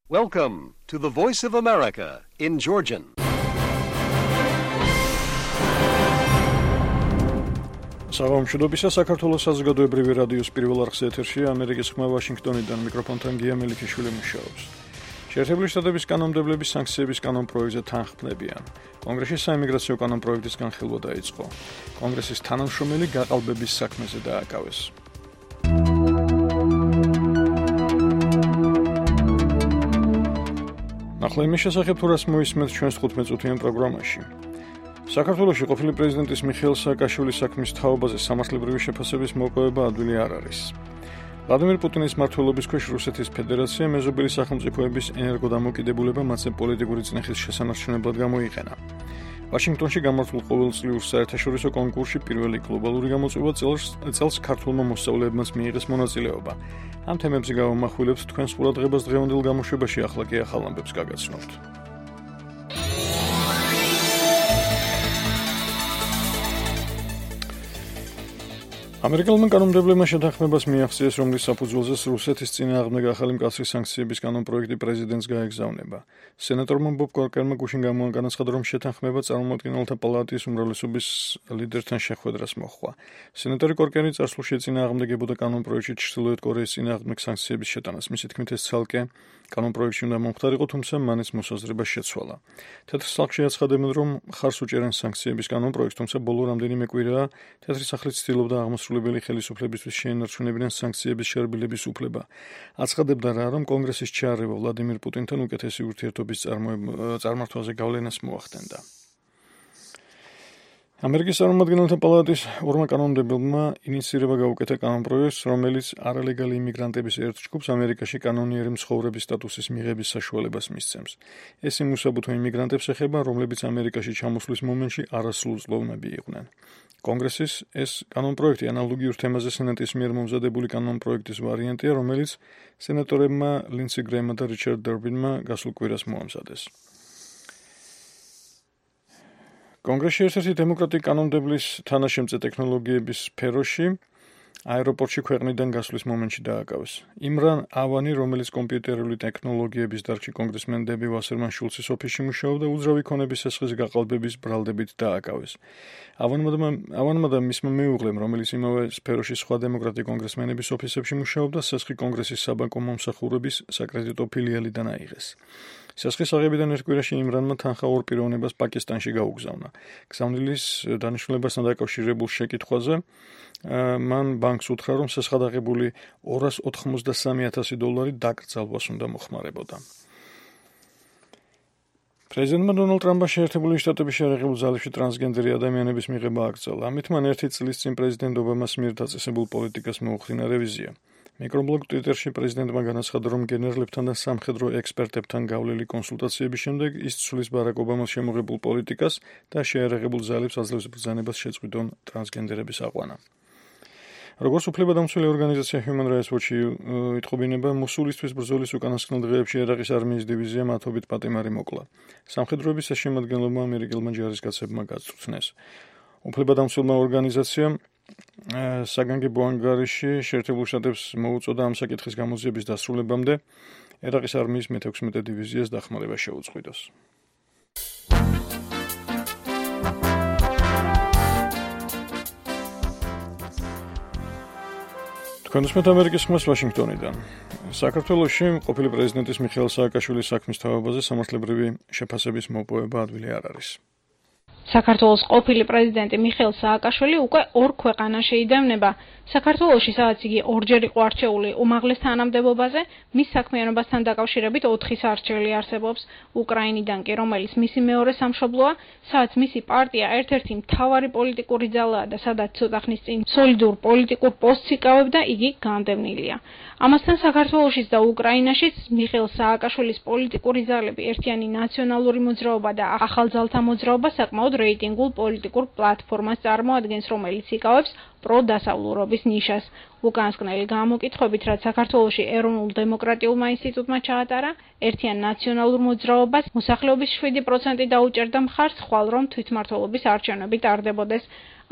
Welcome to the Voice of America in Georgian. Საღამოშობისა საქართველოს საზოგადოებრივი რადიოს პირველ არხზე ეთერშია ამერიკის ხმა ვაშინგტონიდან მიკროფონთან გია მელიქიშვილი მუშაობს. შეერთებული შტატების კანონმდებლების სანქციების კანონპროექტზე თანხმდებიან. კონგრესში საიმიგრაციო კანონპროექტის განხილვა დაიწყო. კონგრესის თანამშრომელი გაყალბების საქმეზე დააკავეს. ახლა იმის შესახებ თუ რას მოისმენთ ჩვენს 15-წუთიან პროგრამაში. საქართველოში ყოფილი პრეზიდენტის მიხეილ სააკაშვილის საქმის თაობაზე სამართლებრივი შეფასების მოპოვება ადვილი არ არის. ვლადიმერ პუტინის მმართველობის ქვეშ რუსეთის ფედერაცია მეზობელი სახელმწიფოების ენერგოდამოკიდებულება მათზე პოლიტიკური წნეხის შესანარჩუნებლად გამოიყენა. ვაშინგტონში გამართულ ყოველწლიურ საერთაშორისო კონკურსში პირველი გლობალური გამოწვევა წელს ქართულმა მოსწავლეებმაც მიიღეს მონაწილეობა. ამ თემებზე გავამახვილებთ თქვენს ყურადღებას დღევანდელ გამოშვებაში, ახლა კი ახალ ამბებს გაგაცნობთ. ამერიკელმა კანონმდებლებმა შეთანხმებას მიაღწიეს, რომლის საფუძველზეც რუსეთის წინააღმდეგ ახალი მკაცრი სანქციების კანონპროექტი პრეზიდენტს გაეგზავნება. სენატორმა ბობ კორკერმა გუშინ განაცხადა, რომ შეთანხმება წარმომადგენელთა პალატის უმრავლესობის ლიდერთან შეხვედრას მოჰყვა. სენატორი კორკერი წარსულში წინააღმდეგებოდა კანონპროექტში ჩრდილოეთ კორეის წინააღმდეგ სანქციების შეტანას. მისი თქმით, ეს ცალკე კანონპროექტში უნდა მომხდარიყო, თუმცა მან ეს მოსაზრება შეცვალა. თეთრ სახლში აცხადებენ, რომ მხარს უჭერენ სანქციების კანონპროექტს, თუმცა ბოლო რამდენიმე კვირაა თეთრი სახლი ცდილობდა აღმასრულებელი ხელისუფლებისთვის შეენარჩუნებინან სანქციების შერბილების უფლება. აცხადებდა რა, რომ კონგრესის ჩაარევა ვლადიმერ პუტინთან უკეთესი ურთიერთობის წარმართვაზე გავლენას მოახდენდა. ამერიკის წარმომადგენელთა პალატის ორმა კანონმდებელმა ინიციირება გაუკეთა კანონპროექტს, რომელიც არალეგალი იმიგრანტების ერთ ჯგუფს ამერიკაში კანონიერი მცხოვრების სტატუსის მიღების საშუალებას მისცემს. ეს იმ უსაბუთო იმიგრანტებს ეხება, რომლებიც ამერიკაში ჩამოსვლის მომენტში არასრულწლოვნები იყვნენ. კონგრესის ეს კანონპროექტი ანალოგიურ თემაზე სენატის მიერ მომზადებული კანონპროექტის ვარიანტია, რომელიც სენატორებმა ლინდსი გრეიმმა და რიჩარდ დერბინმა გასულ კვირას მოამზადეს. კონგრესში ერთ-ერთი დემოკრატი კანონმდებლის თანაშემწე ტექნოლოგიების სფეროში აეროპორტში ქვეყნიდან გასვლის მომენტში დააკავეს. იმრან ავანი, რომელიც კომპიუტერული ტექნოლოგიების დარგში კონგრესმენ დები ვასერმან შულცის ოფისში მუშაობდა, უძრავი ქონების სესხის გაყალბების ბრალდებით დააკავეს. ავანმა და მისმა მეუღლემ, რომელიც იმავე სფეროში სხვა დემოკრატი კონგრესმენების ოფისებში მუშაობდა, სესხი კონგრესის საბანკო მომსახურების საკრედიტო ფილიალიდან აიღეს. სესხის აღებიდან ერთ კვირაში იმრანმა თანხა ორ პიროვნებას პაკისტანში გაუგზავნა. გზავნილის დანიშნულებასთან დაკავშირებულ შეკითხვაზე მან ბანკს უთხრა, რომ სესხად აღებული $283,000 დაკრძალვას უნდა მოხმარებოდა. პრეზიდენტმა დონალდ ტრამპმა შეერთებული შტატების შეერაღებულ ძალებში ტრანსგენდერი ადამიანების მიღება აკრძალა. ამით მან ერთი წლის წინ პრეზიდენტ ობამას მიერ დაწესებულ პოლიტიკას მოუხდინა რევიზია. მიკრობლოგ ტვიტერში პრეზიდენტმა განაცხადა, რომ გენერლებთან და სამხედრო ექსპერტებთან გავლილი კონსულტაციების შემდეგ ის ცვლის ბარაკ ობამას შემოღებულ პოლიტიკას და შეერაღებულ ძალებს აძლევს ბრძანებას შეწყვიტონ ტრანსგენდერების აყვანა. როგორც უფლებადამცველი ორგანიზაცია Human Rights Watch იტყობინება, მოსულისთვის ბრძოლის უკანასკნელ დღეებში ერაყის არმიის დივიზია მათობით პატიმარი მოკლა. სამხედროების ეს შემადგენლობა ამერიკელმა ჯარისკაცებმა გაწვრთნეს. უფლებადამცველმა ორგანიზაციამ საგანგებო ანგარიში შეერთებულ შტატებს მოუწოდა ამ საკითხის გამოძიების დასრულებამდე ერაყის არმიის მე-16 დივიზიას დახმარება შეუწყვიტოს. თქვენ უსმენთ ამერიკის ხმას ვაშინგტონიდან. საქართველოში ყოფილი პრეზიდენტის მიხეილ სააკაშვილის საქმის თაობაზე სამართლებრივი შეფასების მოპოვება ადვილი არ არის. საქართველოს ყოფილი პრეზიდენტი მიხეილ სააკაშვილი უკვე ორ ქვეყანაში იდევნება. საქართველოში, სადაც იგი ორჯერ იყო არჩეული უმაღლეს თანამდებობაზე, მის საქმიანობასთან დაკავშირებით 4 სარჩელი არსებობს. უკრაინიდან კი, რომელიც მისი მეორე სამშობლოა, სადაც მისი პარტია ერთ-ერთი მთავარი პოლიტიკური ძალაა და სადაც ცოტა ხნის წინ სოლიდურ პოლიტიკურ პოსტს იკავებდა, იგი განდევნილია. ამასთან საქართველოშიც და უკრაინაშიც მიხეილ სააკაშვილის პოლიტიკური ძალები ერთიანი ნაციონალური მოძრაობა და ახალძალთა მოძრაობა საკმაოდ რეიტინგულ პოლიტიკურ პლატფორმას წარმოადგენს, რომელიც იკავებს პროდასავლურობის ნიშას. უკანასკნელი გამოკითხვებით, რაც საქართველოში ეროვნულ დემოკრატიულმა ინსტიტუტმა ჩაატარა, ერთიან ნაციონალურ მოძრაობას მოსახლეობის 7% დაუჭერდა მხარს, ხვალ რომ თვითმმართველობის არჩევნები ტარდებოდეს.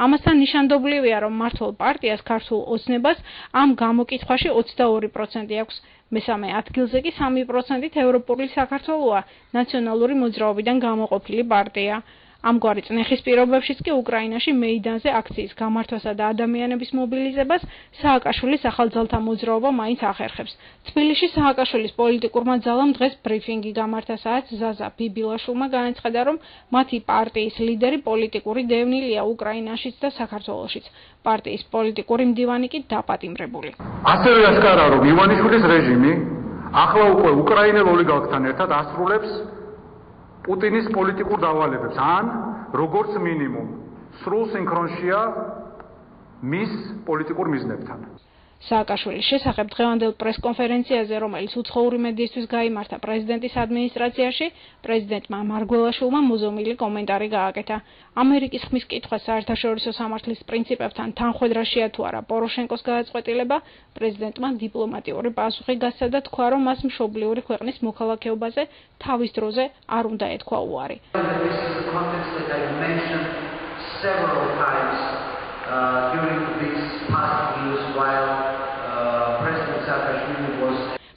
ამასთან ნიშანდობლივია, რომ მმართველ პარტიას ქართულ ოცნებას ამ გამოკითხვაში 22% აქვს. მესამე ადგილზე კი 3%-ით ევროპული საქართველოა, ნაციონალური მოძრაობიდან გამოყოფილი პარტია. ამგვარი წნეხის პირობებშიც კი უკრაინაში მეიდანზე აქციის გამართვასა და ადამიანების მობილიზებას სააკაშვილის ახალძალთა მოძრაობა მაინც ახერხებს. თბილისში სააკაშვილის პოლიტიკურმა ძალამ დღეს ბრიფინგი გამართა, სადაც ზაზა ბიბილაშვილმა განაცხადა, რომ მათი პარტიის ლიდერი პოლიტიკური დევნილია უკრაინაშიც და საქართველოშიც. პარტიის პოლიტიკური მდივანი კი დაპატიმრებული. ასევე ასკარაა, რომ ივანიშვილის რეჟიმი ახლა უკვე უკრაინელ ოლიგარქთან ერთად ასრულებს პუტინის პოლიტიკურ დავალებებს, ან როგორც მინიმუმ სრულ სინქრონშია მის პოლიტიკურ მიზნებთან. სააკაშვილის შესახებ დღევანდელ პრესკონფერენციაზე, რომელიც უცხოური მედიისთვის გაიმართა პრეზიდენტის ადმინისტრაციაში, პრეზიდენტმა მარგველაშვილმა მოზომილი კომენტარი გააკეთა. ამერიკის ხმის კითხვა საერთაშორისო სამართლის პრინციპებთან თანხვედრაშია თუ არა პოროშენკოს გადაწყვეტილება, პრეზიდენტმა დიპლომატიური პასუხი გასცა და თქვა, რომ მას მშობლიური ქვეყნის მოქალაქეობაზე თავის დროზე არ უნდა ეთქვა უარი.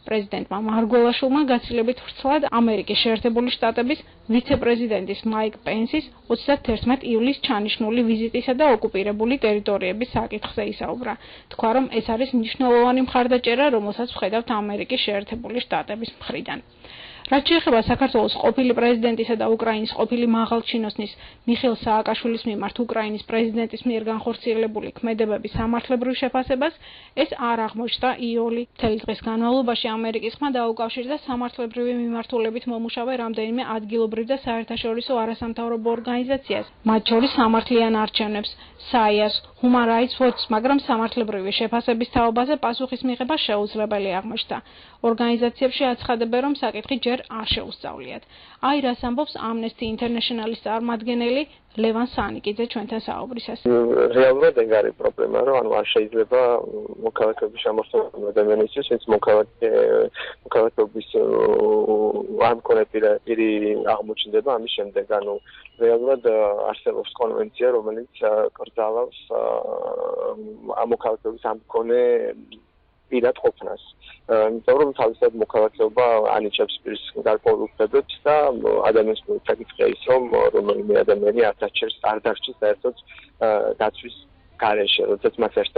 პრეზიდენტმა მარგველაშვილმა გაცილებით ვრცლად ამერიკის შეერთებული შტატების ვიცე-პრეზიდენტის მაიკ პენსის 31 ივლისს ჩანიშნული ვიზიტისა და ოკუპირებული ტერიტორიების საკითხზე ისაუბრა. თქვა, რომ ეს არის მნიშვნელოვანი მხარდაჭერა, რომელსაც ვხედავთ ამერიკის შეერთებული შტატების მხრიდან. რაც შეეხება საქართველოს ყოფილი პრეზიდენტისა და უკრაინის ყოფილი მაღალჩინოსნის მიხეილ სააკაშვილის მიმართ უკრაინის პრეზიდენტის მიერ განხორციელებული ქმედებების სამართლებრივ შეფასებას, ეს არ აღმოჩნდა იოლი. მთელი დღის განმავლობაში ამერიკის ხმა დაუკავშირდა სამართლებრივი მიმართულებით მომუშავე რამდენიმე ადგილობრივ და საერთაშორისო არასამთავრობო ორგანიზაციას, მათ შორის სამართლიან არჩევნებს, SAIA-ს, Human Rights Watch-ს, მაგრამ სამართლებრივი შეფასების თაობაზე პასუხის მიღება შეუძლებელი აღმოჩნდა. ორგანიზაციებში აცხადებენ, რომ საკითხი ჯერ არ შეუსწავლიათ. აი რას ამბობს Amnesty International-ის წარმომადგენელი ლევან სანიკიძე ჩვენთან საუბრისას. რეალურად ეგ არის პრობლემა, რომ არ შეიძლება მოქალაქეობის შემოსავალი ადამიანისთვის, ვინც მოქალაქეობის არ მქონე პირი აღმოჩნდება ამის შემდეგ. რეალურად არსებობს კონვენცია, რომელიც კრძალავს მოქალაქეობის ამ მქონე პირად ყოფნას. იმიტომ რომ თავისად მოქალაქეობა ანიჭებს პირის გარკვეულ უფლებებს და ადამიანის საკითხია ის, რომ რომელიმე ადამიანი არ დარჩეს საერთოდ დაცვის გარეშე, როდესაც მას ერთ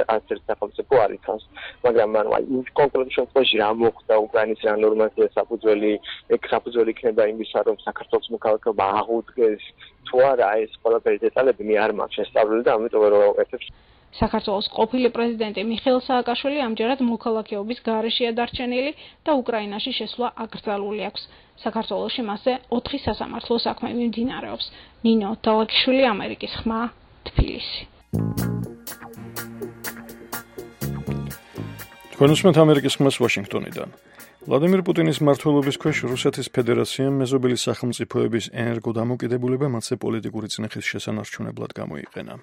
სახელმწიფო არ ითავს. მაგრამ იმ კონკრეტულ შემთხვევაში რა მოხდა უკრაინის რა ნორმატივია საფუძველი იქნება იმისა, რომ საქართველოს მოქალაქეობა აღუდგეს თუ არა, ეს ყველაფერი დეტალები მე არ მაქვს შესწავლილი და ამიტომ ვერ ვაკეთებ. საქართველოს ყოფილი პრეზიდენტი მიხეილ სააკაშვილი ამჯერად მოქალაქეობის გარეშეა დარჩენილი და უკრაინაში შესვლა აკრძალული აქვს. საქართველოში მასზე 4 სასამართლო საქმე მიმდინარეობს. ნინო თალაკიშვილი, ამერიკის ხმა, თბილისი. თქვენ უსმენთ ამერიკის ხმას ვაშინგტონიდან. ვლადიმირ პუტინის მმართველობის ქვეშ რუსეთის ფედერაციამ მეზობელი სახელმწიფოების ენერგოდამოკიდებულება მათზე პოლიტიკური წნეხის შესანარჩუნებლად გამოიყენა.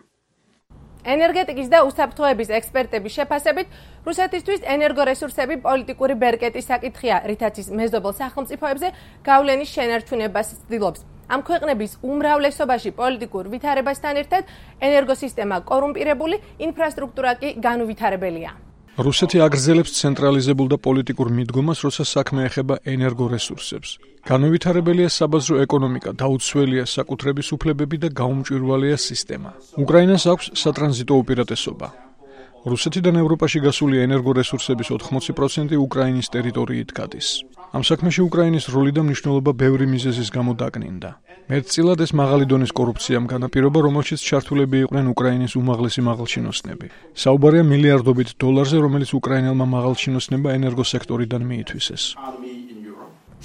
ენერგეტიკის და უსაფრთხოების ექსპერტების შეფასებით, რუსეთისთვის ენერგორესურსები პოლიტიკური ბერკეტის საკითხია, რითაც ის მეზობელ სახელმწიფოებზე გავლენის შენარჩუნებას ცდილობს. ამ ქვეყნების უმრავლესობაში პოლიტიკურ ვითარებასთან ერთად ენერგოსისტემა კორუმპირებული, ინფრასტრუქტურა კი განუვითარებელია. რუსეთი აგრძელებს ცენტრალიზებულ და პოლიტიკურ მიდგომას, როცა საქმე ეხება ენერგორესურსებს. განუვითარებელია საბაზრო ეკონომიკა, დაუცველია საკუთრების უფლებები და გაუმჭვირვალეა სისტემა. უკრაინას აქვს სატრანზიტო უპირატესობა. რუსეთიდან ევროპაში გასული ენერგორესურსების 80% უკრაინის ტერიტორიით გადის. ამ საქმეში უკრაინის როლი და მნიშვნელობა ბევრი მიზეზის გამო დაკნინდა. მეტწილად ეს მაღალი დონის კორუფციამ განაპირობა, რომელშიც ჩართულები იყვნენ უკრაინის უმაღლესი მაღალჩინოსნები. საუბარია მილიარდობით დოლარზე, რომელიც უკრაინელმა მაღალჩინოსნებმა ენერგოსექტორიდან მიითვისეს.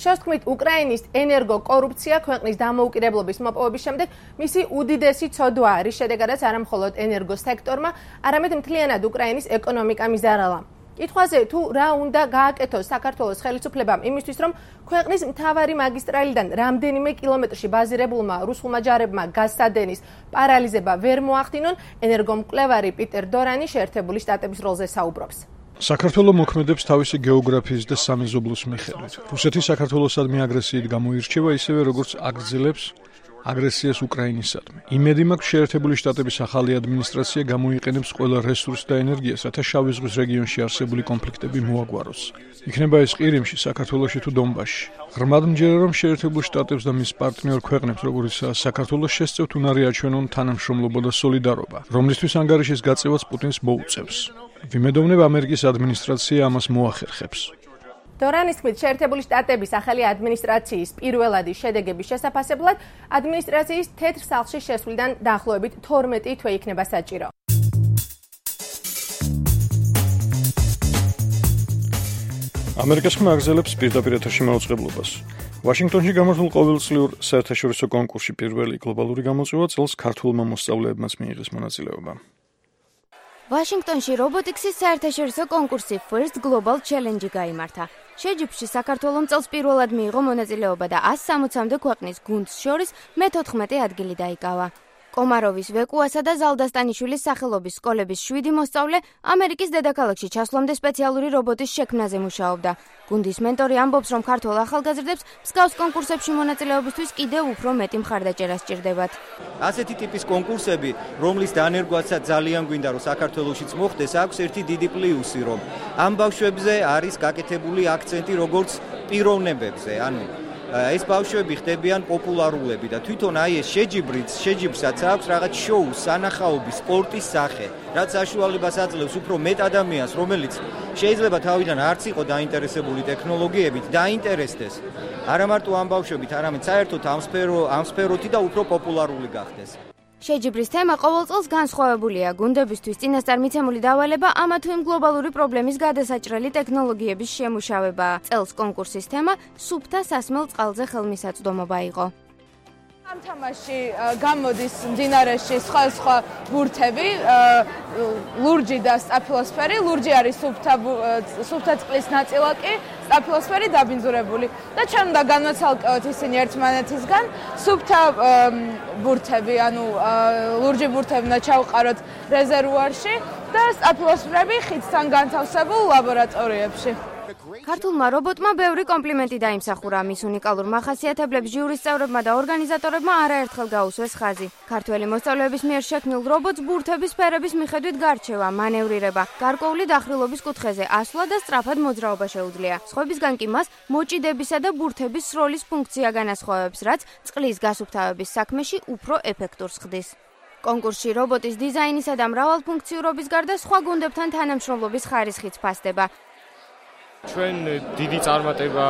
შევსქმით, უკრაინის ენერგოკორუფცია ქვეყნის დამოუკიდებლობის მოპოვების შემდეგ მისი უდიდესი ცოდვაა, რის შედეგადაც არა მხოლოდ ენერგოსექტორმა, არამედ მთლიანად უკრაინის ეკონომიკამ იზარალა. კითხვაზე თუ რა უნდა გააკეთოს საქართველოს ხელისუფლებამ იმისთვის, რომ ქვეყნის მთავარი მაგისტრალიდან რამდენიმე კილომეტრში ბაზირებულმა რუსულმა ჯარებმა გაზსადენის პარალიზება ვერ მოახდინონ, ენერგომკვლევარი პიტერ დორანი შეერთებული შტატების როლზე საუბრობს. საქართველო მოქმედებს თავისი გეოგრაფიის და სამეზობლოს მიხედვით. რუსეთი საქართველოსადმი აგრესიით გამოირჩევა, ისევე როგორც აგრძელებს აგრესიას უკრაინისადმი. იმედი მაქვს, შეერთებული შტატების ახალი ადმინისტრაცია გამოიყენებს ყველა რესურსს და ენერგიას, რათა შავი ზღვის რეგიონში არსებული კონფლიქტები მოაგვაროს. იქნება ეს ყირიმში, საქართველოში თუ დონბასში. ღრმად მჯერა, რომ შეერთებულ შტატებს და მის პარტნიორ ქვეყნებს, როგორიცაა საქართველოს, შესწევთ უნარი აჩვენონ თანამშრომლობა და სოლიდარობა, რომლისთვის ანგარიშის გაწევაც პუტინს მოუწევს. ვიმედოვნებ, ამერიკის ადმინისტრაცია ამას მოახერხებს. დორანის თქმით, შეერთებული შტატების ახალი ადმინისტრაციის პირველადი შედეგების შესაფასებლად ადმინისტრაციის თეთრ სახლში შესვლიდან დაახლოებით 12 თვე იქნება საჭირო. ამერიკას ხმაგზელებს პირდაპირ ეთერში მაუწყებლობას. ვაშინგტონში გამართულ ყოველწლიურ საერთაშორისო კონკურსში პირველი გლობალური გამოწვევა წელს ქართულმა მოსწავლეებმაც მიიღეს მონაწილეობა. ვაშინგტონში რობოტიქსის საერთაშორისო კონკურსი First Global Challenge გაიმართა. შეჯიბრში საქართველომ წელს პირველად მიიღო მონაწილეობა და 160-მდე ქვეყნის გუნდს შორის მე-14 ადგილი დაიკავა. კომაროვის ვეკუასა და ზალდასტანიშვილის სახელობის სკოლების 7 მოსწავლე ამერიკის დედაქალაქში ჩასვლამდე სპეციალური რობოტის შექმნაზე მუშაობდა. გუნდის მენტორი ამბობს, რომ ქართველ ახალგაზრდებს მსგავს კონკურსებში მონაწილეობისთვის კიდევ უფრო მეტი მხარდაჭერა სჭირდებათ. ასეთი ტიპის კონკურსები, რომლის დანერგვაცაც ძალიან გვინდა, რომ საქართველოშიც მოხდეს, აქვს ერთი დიდი პლუსი, რომ ამ ბავშვებზე არის გაკეთებული აქცენტი როგორც პიროვნებებზე, ანუ ეს ბავშვები ხდებიან პოპულარულები და თვითონ აი ეს შეჯიბრსაც აქვს რაღაც შოუ, სანახაობის, სპორტის სახე, რაც საშუალებას აძლევს უფრო მეტ ადამიანს, რომელიც შეიძლება თავიდან არც იყო დაინტერესებული ტექნოლოგიებით, დაინტერესდეს არა მარტო ამ ბავშვებით, არამედ საერთოდ ამ სფეროთი და უფრო პოპულარული გახდეს. შეჯიბრის თემა ყოველ წელს განსხვავებულია. გუნდებისთვის წინასწარ მიცემული დავალება ამა თუ იმ გლობალური პრობლემის გადასაჭრელი ტექნოლოგიების შემუშავებაა. წელს კონკურსის თემა სუფთა სასმელ წყალზე ხელმისაწვდომობა იყო. ამ თამაში გამოდის მდინარეში სხვა ბურთები, ლურჯი და სტაფილოსფერი. ლურჯი არის სუფთა წყლის ნაწილაკი, სტაფილოსფერი დაბინძურებული. და ჩვენ უნდა განვაცალკევოთ ისინი ერთმანეთისგან. სუფთა ბურთები, ანუ ლურჯი ბურთები უნდა ჩავყაროთ რეზერვუარში და სტაფილოსფერები ხიდთან განთავსებულ ლაბორატორიებში. ქართულმა რობოტმა ბევრი კომპლიმენტი დაიმსახურა. მის უნიკალურ მახასიათებლებს ჟიურის წევრებმა და ორგანიზატორებმა არაერთხელ გაუსვეს ხაზი. ქართველი მოსწავლეების მიერ შექმნილ რობოტს ბურთების სფერების მიხედვით გარჩევა, მანევრირება, გარკვეული დახრილობის კუთხეზე ასვლა და სწრაფად მოძრაობა შეუძლია. სხვებისგან კი მას მოჭიდებისა და ბურთების სროლის ფუნქცია განასხვავებს, რაც წყლის გასუფთავების საქმეში უფრო ეფექტურს ხდის. კონკურსში რობოტის დიზაინისა და მრავალფუნქციურობის გარდა სხვა გუნდებთან თანამშრომლობის ხარისხიც ფასდება. ჩვენ დიდი წარმატება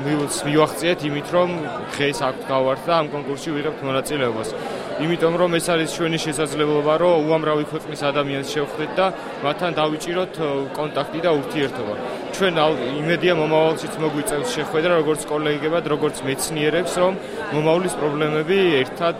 მივახციეთ იმით, რომ დღეს აქვთ გავართ და ამ კონკურსში ვიღებთ მონაწილეობას. იმიტომ რომ ეს არის ჩვენი შესაძლებლობა, რომ უამრავი ქვეყნის ადამიანს შევხვდეთ და მათთან დავიჭიროთ კონტაქტი და ურთიერთობა. ჩვენ იმედია მომავალშიც მოგვიწევს შეხვედრა როგორც კოლეგებად, როგორც მეცნიერებს, რომ მომავლის პრობლემები ერთად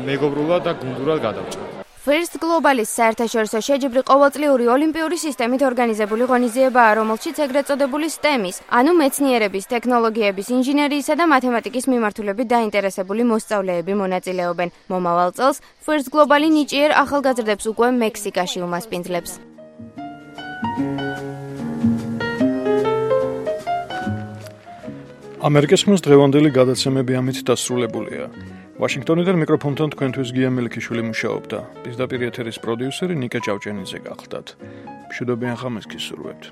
მეგობრულად და გუნდურად გადავჭრათ. First Global-ის საერთაშორისო შეჯიბრი ყოველწლიური ოლიმპიური სისტემით ორგანიზებული ღონისძიებაა, რომელშიც ეგრეთ წოდებული STEM-ის, ანუ მეცნიერების, ტექნოლოგიების, ინჟინერიისა და მათემატიკის მიმართულებით დაინტერესებული მოსწავლეები მონაწილეობენ. მომავალ წელს First Global-ი ნიჭიერ ახალგაზრდებს უკვე მექსიკაში უმასპინძლებს. ამერიკის ხმის დღევანდელი გადაცემები ამით დასრულებულია. ვაშინგტონიდან მიკროფონთან თქვენთვის გია მელიქიშვილი მუშაობდა. პირდაპირ ეთერის პროდიუსერი ნიკა ჭავჭენიძე გახლდათ. მშვიდობიან ხამას გისურვებთ.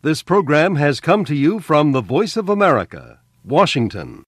This program has come to you from the Voice of America, Washington.